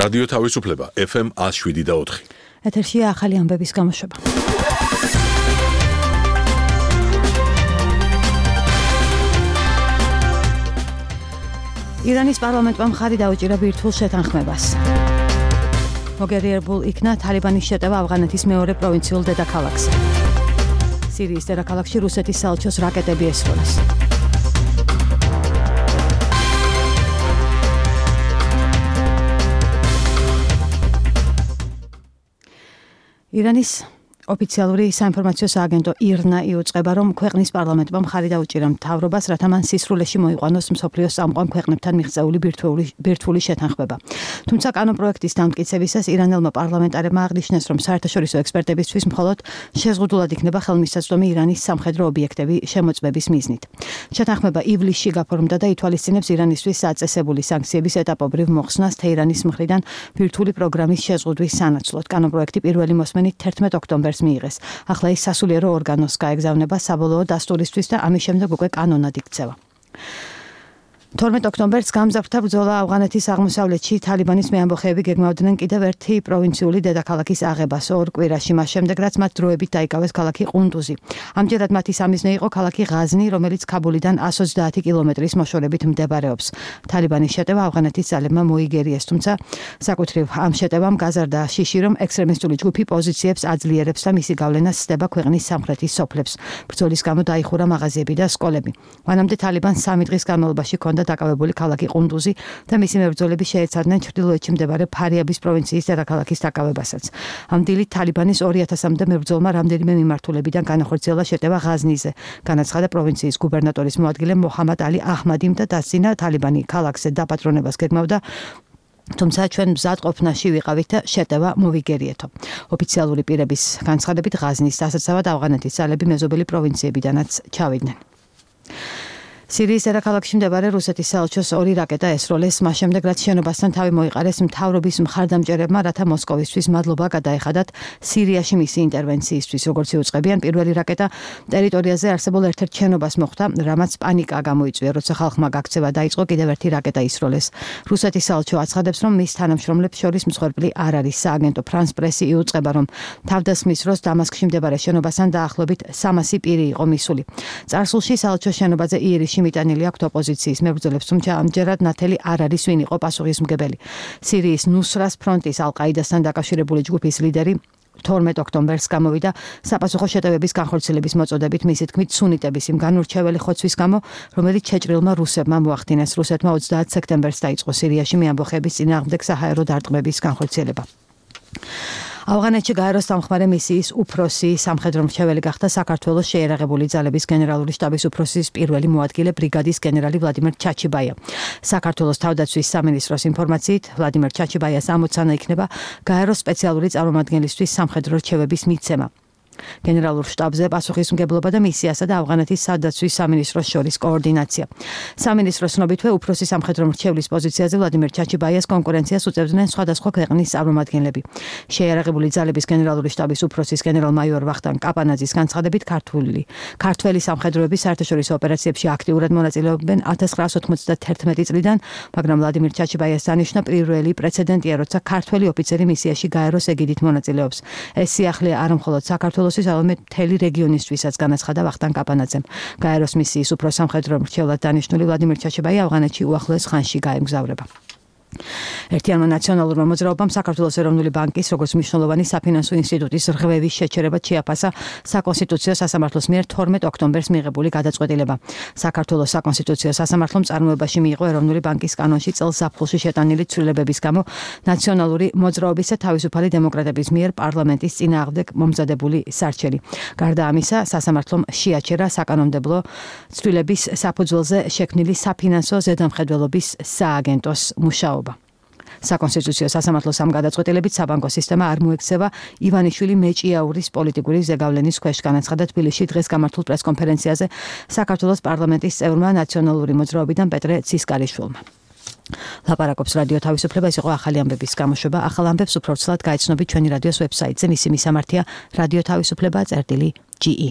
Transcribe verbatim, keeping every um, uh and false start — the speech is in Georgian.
რადიო თავისუფლება ეფ ემ one oh seven და four. ეთერშია ახალი ამბების გამოშვება. ირანის პარლამენტმა მხარი დაუჭირა ბირთვულ შეთანხმებას. მოგერიებულ იქნა თალიბანის შეტევა ავღანეთის მეორე პროვინციულ დედაქალაქზე. სირიის დედაქალაქში რუსეთის საელჩოს რაკეტები ესროლეს. ირანის ოფიციალური საინფორმაციო სააგენტო ირნა იუწყება, რომ ქვეყნის პარლამენტმა მხარი დაუჭირა მთავრობას, რათა მან სისრულეში მოიყვანოს მსოფლიოს წამყვან ქვეყნებთან მიღწეული ბირთვული შეთანხმება. თუმცა კანონპროექტის დამტკიცებისას ირანელმა პარლამენტარებმა აღნიშნეს, რომ საერთაშორისო ექსპერტებისთვის მხოლოდ შეზღუდულად იქნება ხელმისაწვდომი ირანის სამხედრო ობიექტები შემოწმების მიზნით. შეთანხმება ივლისში გაფორმდა და ითვალისწინებს ირანისთვის საწესებული სანქციების ეტაპობრივ მოხსნას თეირანის მხრიდან ბირთვული პროგრამის შეზღუდვის სანაცვლოდ. კანონპროექტი პირველი მოსმენით თერთმეტ ოქტომბერს მიიღეს. ახლა ის სასულიერო ორგანოს გაეგზავნება საბოლოო დასტურისთვის და ამის შემდეგ უკვე კანონად იქცევა. თორმეტ ოქტომბერს გამზარდთა ბრძოლა ავღანეთის აღმოსავლეთში თალიბანის მეამბოხეები გეგმავდნენ კიდევ ერთი პროვინციული დედაქალაქის აღებას ორ კვირაში, მას შემდეგ რაც მათ დროებით დაიკავეს ქალაქი ყუნდუზი. ამჯერად მათი სამიზნე იყო ქალაქი ღაზნი, რომელიც ქაბულიდან one hundred twenty კილომეტრის მოშორებით მდებარეობს. თალიბანის შეტევა ავღანეთის ძალებმა მოიგერიეს, თუმცა საკუთრივ ამ შეტევამ გაზარდა შიში, რომ ექსტრემისტული ჯგუფი პოზიციებს აძლიერებს და მისი გავლენა სცდება ქვეყნის სამხრეთის სოფლებს. ბრძოლის გამო დაიხურა მაღაზიები და სკოლები. მანამდე თალიბანს სამი დღის განმავლობაში ჰქონდა დაკავებული ქალაქი ყუნდუზი და მისი მებრძოლები შეეცადნენ ჩრდილოეთში მდებარე ფარიაბის პროვინციის დედაქალაქის დაკავებასაც. ამ დილით თალიბანის two thousand-მდე მებრძოლმა რამდენიმე მიმართულებიდან განახორციელა შეტევა ღაზნიზე. განაცხადა პროვინციის გუბერნატორის მოადგილე მოჰამად ალი აჰმადიმ და დასძინა თალიბანი ქალაქზე დაპატრონებას გეგმავდა, თუმცა ჩვენ მზად ყოფნაში ვიყავით და შეტევა მოვიგერიეთო. ოფიციალური პირების განცხადებით ღაზნის დასაცავად ავღანეთის ძალები მეზობელი პროვინციებიდანაც ჩავიდნენ. სირიის დედაქალაქში მდებარე რუსეთის საელჩოს ორი რაკეტა ესროლეს, მას შემდეგ რაც შენობასთან თავი მოიყარეს მთავრობის მხარდამჭერებმა, რათა მოსკოვისთვის მადლობა გადაეხადათ სირიაში მისი ინტერვენციისთვის. როგორც იუწყებიან, პირველი რაკეტა ტერიტორიაზე არსებულ ერთ-ერთ შენობას მოხვდა, რამაც პანიკა გამოიწვია, როცა ხალხმა გაქცევა დაიწყო, კიდევ ერთი რაკეტა ისროლეს. რუსეთის საელჩო აცხადებს, რომ მის თანამშრომლებს შორის მსხვერპლი არ არის. სააგენტო ფრანს პრესი იუწყება, რომ თავდასხმის დროს დამასკში მდებარე შენობასთან დაახლოებით სამასი პირი იყო მისული. წარსულში საელჩოს შენობაზე იერიშ მიტანილი აქვთ ოპოზიციის მებრძოლებს, თუმცა ამჯერად ნათელი არ არის ვინ იყო პასუხისმგებელი. სირიის ნუსრას ფრონტის ალ-ყაიდასთან დაკავშირებული ჯგუფის ლიდერი თორმეტ ოქტომბერს გამოვიდა საპასუხო შეტევების განხორციელების მოწოდებით, მისი თქმით სუნიტების იმ განურჩეველი ხოცვის გამო, რომელიც შეჭრილმა რუსებმა მოახდინეს. რუსეთმა ოცდაათი სექტემბერს დაიწყო სირიაში მეამბოხეების წინააღმდეგ საჰაერო დარტყმების განხორციელება. ავღანეთში გაეროს სამხმარე მისიის უფროსი სამხედრო მრჩეველი გახდა საქართველოს შეიარაღებული ძალების გენერალური შტაბის უფროსის პირველი მოადგილე ბრიგადის გენერალი ვლადიმერ ჩაჩიბაია. საქართველოს თავდაცვის სამინისტროს ინფორმაციით, ვლადიმერ ჩაჩიბაიას ამოცანა იქნება გაეროს სპეციალური წარმომადგენლისთვის სამხედრო რჩევების მიცემა. გენერალურ შტაბზე პასუხისმგებლობა და მისიასა და ავღანეთის სადაცვის სამინისტროს შორის კოორდინაცია. სამინისტროს ცნობითვე უფროსი სამხედრო მრჩევლის პოზიციაზე ვლადიმერ ჩაჩიბაიას კონკურენციას უწევდნენ სხვადასხვა ქვეყნის წარმომადგენლები. შეიარაღებული ძალების გენერალური შტაბის უფროსის გენერალ-მაიორ ვახტანგ კაპანაძის განცხადებით, ქართული ქართველი სამხედროები საერთაშორისო ოპერაციებში აქტიურად მონაწილეობენ one thousand nine hundred ninety-one წლიდან, მაგრამ ვლადიმერ ჩაჩიბაიას დანიშნა პირველი პრეცედენტია, როცა ქართველი ოფიცერი მისიაში გაეროს ეგიდით მონაწილეობს. ეს სიახლე არა მხოლოდ საქართველოს ალმეთ მთელი რეგიონისთვისაც, განაცხადა ვახტანგ კაპანაძემ. გაეროს მისიის უფროს სამხედრო მრჩევლად დანიშნული ვლადიმერ ჩაჩიბაია ავღანეთში უახლოეს ხანში გაემგზავრება. ერთიანმა ნაციონალურმა მოძრაობამ საქართველოს ეროვნული ბანკის როგორც მნიშვნელოვანი საფინანსო ინსტიტუტის რღვევის შეჩერება შეაფასა საკონსტიტუციო სასამართლოს მიერ თორმეტ ოქტომბერს მიღებული გადაწყვეტილება. საქართველოს საკონსტიტუციო სასამართლომ წარმოებაში მიიღო ეროვნული ბანკის კანონში წელს ზაფხულში შეტანილი ცვლილებების გამო ნაციონალური მოძრაობის და თავისუფალი დემოკრატების მიერ პარლამენტის წინააღმდეგ მომზადებული სარჩელი. გარდა ამისა, სასამართლომ შეაჩერა საკანონმდებლო ცვლილების საფუძველზე შექმნილი საფინანსო ზედამხედველობის სააგენტოს მუშაობა. საკონსტიტუციო სასამართლოს ამ გადაწყვეტილებით საბანკო სისტემა არ მოექცევა ივანიშვილი მეჭიაურის პოლიტიკური ზეგავლენის ქვეშ, განაცხადა თბილისში დღეს გამართულ პრესკონფერენციაზე საქართველოს პარლამენტის წევრმა ნაციონალური მოძრაობიდან პეტრე ცისკარიშვილმა. ლაპარაკობს რადიო თავისუფლება, ეს იყო ახალი ამბების გამოშვება. ახალ ამბებს უფრო ცლად გაიცნობთ ჩვენი რადიოს ვებსაიტზე, მისი მისამართია რადიო თავისუფლება წერტილი ჯი ი.